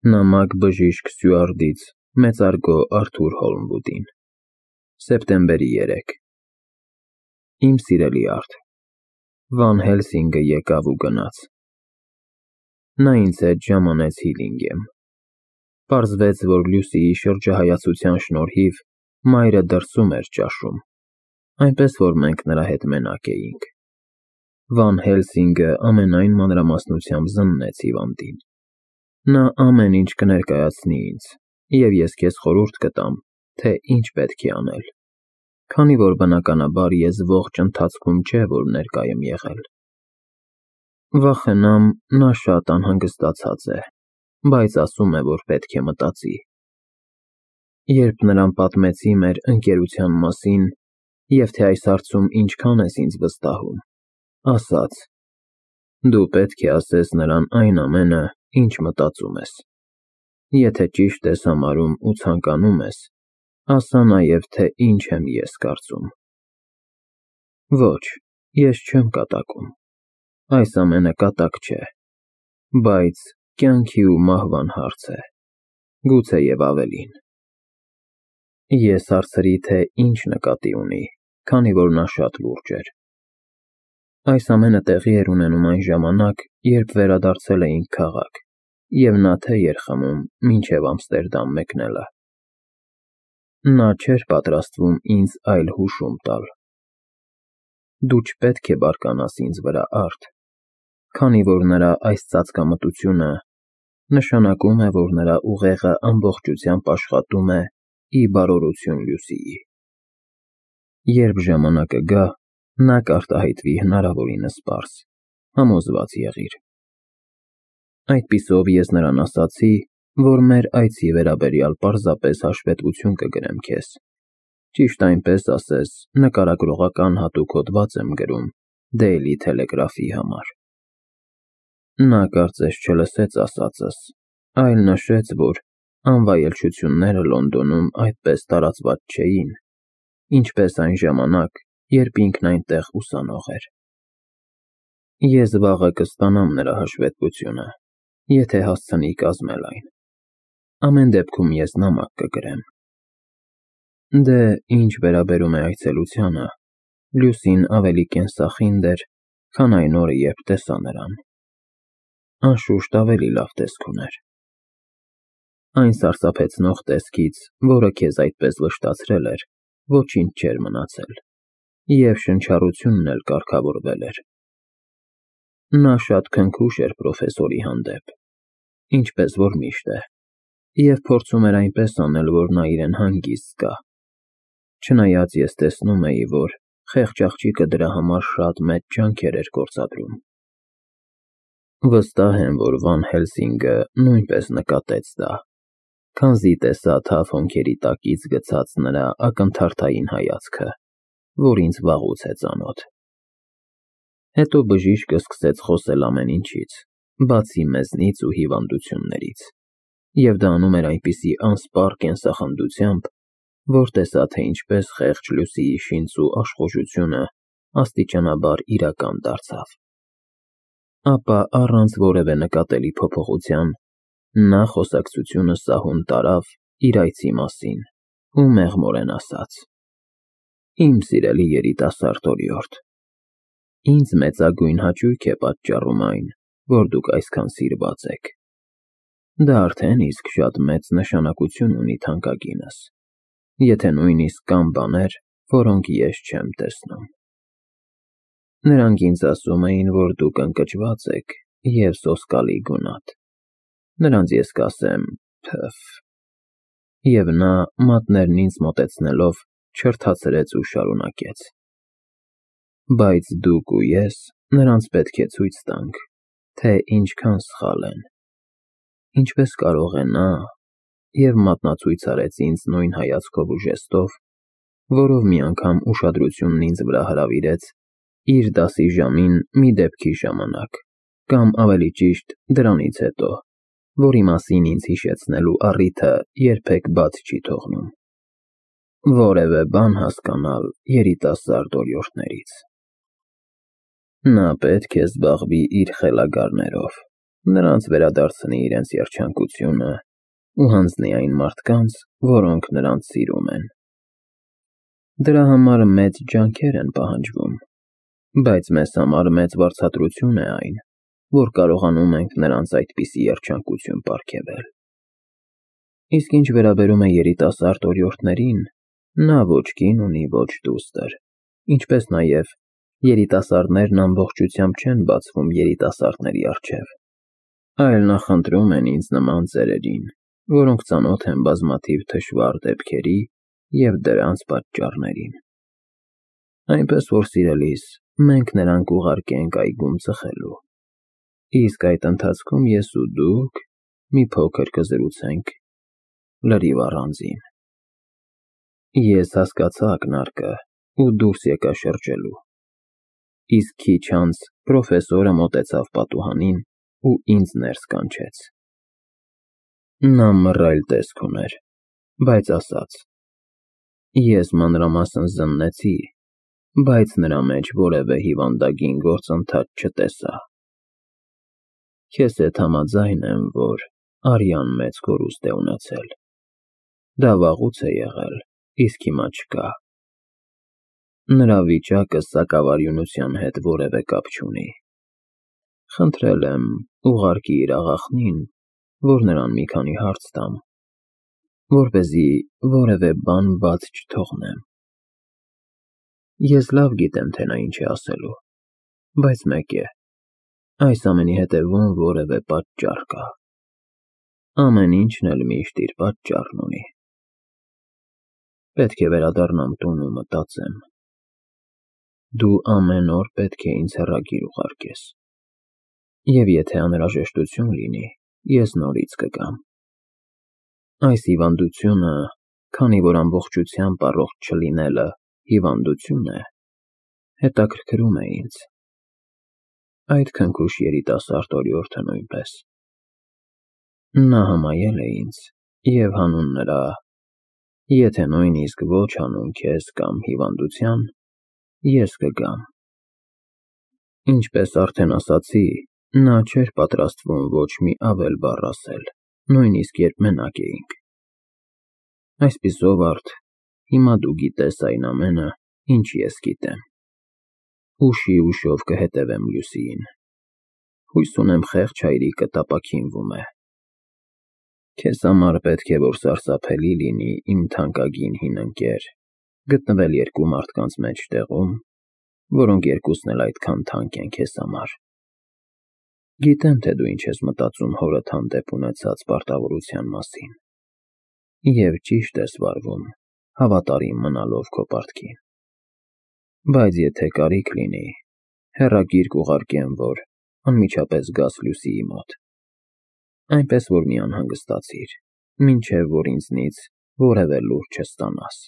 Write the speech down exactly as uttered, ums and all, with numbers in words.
Նամակ բժիշկ Սյուարդից մեծարգո Արթուր Հոլմվուդին։ Սեպտեմբերի երեքը Իմ սիրելի Արթ, Վան Հելսինգը եկավ ու գնաց։ Նա ինձ հետ ժամանեց Հիլինգեմ։ Պարզվեց, որ Լյուսիի շրջահայացության շնորհիվ մայրը դրսում էր ճաշում, այնպես որ մենք նրա հետ մենակ էինք։ Վան Հելսինգը ամենայն մանրամասնությամբ զննեց հիվանդին։ Նա ամեն ինչ կներկայացնի ինձ, և ես քեզ խորհուրդ կտամ, թե ինչ պետք է անել, քանի որ բնականաբար ես ողջ ընթացքում չէ, որ ներկա եմ եղել։ Վախենամ, նա շատ անհանգստացած է, բայց ասում է, որ պետք է մտածի։ Երբ նրան պատմեցի մեր ընկերության մասին և թե այս հարցում ինչքան ես ինձ վստահում, ասաց. «Դու պետք է ասես նրան այն ամենը, ինչ մտածում ես։ Եթե ճիշտ ես համարում ու ցանկանում ես, ասա նաև, թե ինչ եմ ես կարծում»։ Ոչ, ես չեմ կատակում, այս ամենը կատակ չէ, բայց կյանքի ու մահվան հարց է, գուցեև ավելին։ Ես հարցրի, թե ինչ նկատի ունի, քանի որ նա շատ լուրջ էր։ Այս ամենը տեղի էր ունենում այն ժամանակ, երբ վերադարձել էինք քաղաք, և նա թե էր խմում մինչև Ամստերդամ մեկնելը։ Նա չէր պատրաստվում ինձ այլ հուշում տալ։ Դու չպետք է բարկանաս ինձ վրա, Արթ, քանի որ նրա այս ծածկամտությունը նշանակում է, որ նրա ուղեղը ամբողջությամբ աշխատում է ի բարօրություն Լյուսիի։ Երբ ժամանակը գա, նա կարտահայտվի հնարավորինս պարզ, համոզված եղիր։ Այդպիսով ես նրան ասացի, որ մեր այցի վերաբերյալ պարզապես հաշվետվություն կգրեմ քեզ, ճիշտ այնպես ասես, նկարագրողական հատուկ հոդված եմ գրում Daily Telegraph-ի համար։ Նա կարծես չլսեց ասածս, այլ նշեց, որ անվայելչությունները Լոնդոնում այդպես տարածված չէին, ինչպես այն ժամանակ, երբ ինքն այնտեղ ուսանող էր։ Ես վաղը կստանամ նրա հաշվետվությունը, եթե հասցնի կազմել այն։ Ամեն դեպքում ես նամակ կգրեմ։ Դե, ինչ վերաբերում է այցելությանը, Լյուսին ավելի կենսախինդ էր, քան այն օրը, երբ տեսա նրան։ Անշուշտ ավելի լավ տեսք ուներ։ Այն սարսափեցնող տեսքից, որը քեզ այդպես վշտացրել էր, ոչինչ չէր մնացել, և շնչառությունն էլ կարգավորվել էր։ Նա շատ քնքուշ էր պրոֆեսորի հանդեպ, ինչպես որ միշտ է, և փորձում էր այնպես անել, որ նա իրեն հանգիստ զգա, չնայած ես տեսնում էի, որ խեղճ աղջիկը դրա համար շատ մեծ ջանքեր էր գործադրում։ Վստահ եմ, որ Վան Հելսինգը նույնպես նկատեց դա, քանզի տեսա թավ հոնքերի տակից գցած նրա ակնթարթային հայացքը, որ ինձ վաղուց է ծանոթ։ Հետո բժիշկը սկսեց խոսել ամեն ինչից, բացի մեզնից ու հիվանդություններից, և դա անում էր այնպիսի անսպառ կենսախնդությամբ, որ տեսա, թե ինչպես խեղճ Լյուսիի շինծու աշխուժությունը աստիճանաբար իրական դարձավ։ Ապա առանց որևէ նկատելի փոփոխության, նա խոսակցությունը սահուն տարավ իր այցի մասին ու մեղմորեն ասաց. «Իմ սիրելի երիտասարդ օրիորդ, ինձ մեծագույն հաճույք է պատճառում այն, որ դուք այսքան սիրված եք։ Դա արդեն իսկ շատ մեծ նշանակություն ունի թանկագինս, եթե նույնիսկ կան բաներ, որոնք ես չեմ տեսնում։ Նրանք ինձ ասում էին, որ դուք ընկճված եք և սոսկալի գունատ։ Նրանց ես կասեմ՝ փը՜ֆ»։ Եվ նա, մատներն ինձ մոտեցնելով, չրթացրեց ու շարունակեց. «Բայց դուք ու ես նրանց պետք է ցույց տանք, թե ինչքան սխալ են։ Ինչպես կարող է նա» և մատնացույց արեց ինձ նույն հայացքով ու ժեստով, որով մի անգամ ուշադրությունն ինձ վրա հրավիրեց իր դասի ժամին մի դեպքի ժամանակ, կամ ավելի ճիշտ դրանից հետո, որի մասին ինձ հիշեցնելու առիթը երբեք բաց չի թողնում, որևէ բան հասկանալ երիտասարդ օրիորդներից։ Նա պետք է զբաղվի իր խելագարներով, նրանց վերադարձնի իրենց երջանկությունը ու հանձնի այն մարդկանց, որոնք նրանց սիրում են։ Դրա համար մեծ ջանքեր են պահանջվում, բայց մեզ համար մեծ վարձատրություն է այն, որ կարողանում ենք նրանց այդպիսի երջանկություն պարգևել։ Իսկ ինչ վերաբերում է երիտասարդ օրիորդներին, նա ոչ կին ունի, ոչ դուստր, ինչպես նաև երիտասարդներն ամբողջությամբ չեն բացվում երիտասարդների առջև, այլ նախընտրում են ինձ նման ծերերին, որոնք ծանոթ են բազմաթիվ թշվառ դեպքերի և դրանց պատճառներին։ Այնպես որ, սիրելիս, մենք նրան կուղարկենք այգում ծխելու, իսկ այդ ընթացքում ես ու դուք մի փոքր կզրուցենք լրիվ առանձին։ Ես հասկացա ակնարկը ու դուրս եկա շրջելու, իսկ քիչ անց պրոֆեսորը մոտեցավ պատուհանին ու ինձ ներս կանչեց։ Նա մռայլ տեսք ուներ, բայց ասաց. ես մանրամասն զննեցի, բայց նրա մեջ որևէ հիվանդագին գործընթաց չտեսա։ Քեզ հետ համաձայն եմ, որ արյան մեծ կորուստ է ունեցել։ Դա վաղուց է եղել, իսկ հիմա չկա։ Նրա վիճակը սակավարյունության հետ որևէ կապ չունի։ Խնդրել եմ ուղարկի իր աղախնին, որ նրան մի քանի հարց տամ, որպեսզի որևէ բան բաց չթողնեմ։ Ես լավ գիտեմ, թե նա ինչ է ասելու, բայց մեկ է, այս ամենի հետևում որևէ պատճառ կա։ Ամեն ինչն էլ միշտ իր պատճառն ունի։ Պետք է վերադառնամ տուն ու մտածեմ։ Դու ամեն օր պետք է ինձ հեռագիր ուղարկես, և եթե անհրաժեշտություն լինի, ես նորից կգամ։ Այս հիվանդությունը, քանի որ ամբողջությամբ առողջ չլինելը հիվանդություն է, հետաքրքրում է ինձ։ Այդ քնքուշ երիտասարդ օրիորդը նույնպես։ Նա համայել է ինձ և հանուն նրա, եթե նույնիսկ ոչ հանուն քեզ կամ հիվանդության, ես կգամ։ Ինչպես արդեն ասացի, նա չէր պատրաստվում ոչ մի ավել բառ ասել, նույնիսկ երբ մենակ էինք։ Այսպիսով արդ, հիմա դու գիտես այն ամենը, ինչ ես գիտեմ։ Ուշի ուշով կհետևեմ Լուսիին։ Հույս ունեմ խեղճ հայրիկը տապաքինվում է։ Քեզ համար պետք է որ սարսափելի լինի, իմ թանկագին հին ընկեր, գտնվել երկու մարդկանց մեջտեղում, որոնք երկուսն էլ այդքան թանկ են քեզ համար։ Գիտեմ, թե դու ինչ ես մտածում հորդ հանդեպ ունեցած պարտավորության մասին, և ճիշտ ես վարվում, հավատարիմ մնալով քո պարտքին։ Բայց եթե կարիք լինի, հեռագիր կուղարկեմ, որ անմիջապես գաս Լուսիի մոտ, այնպես որ մի անհանգստացիր, մինչև որ ինձնից որևէ լուր չստանաս։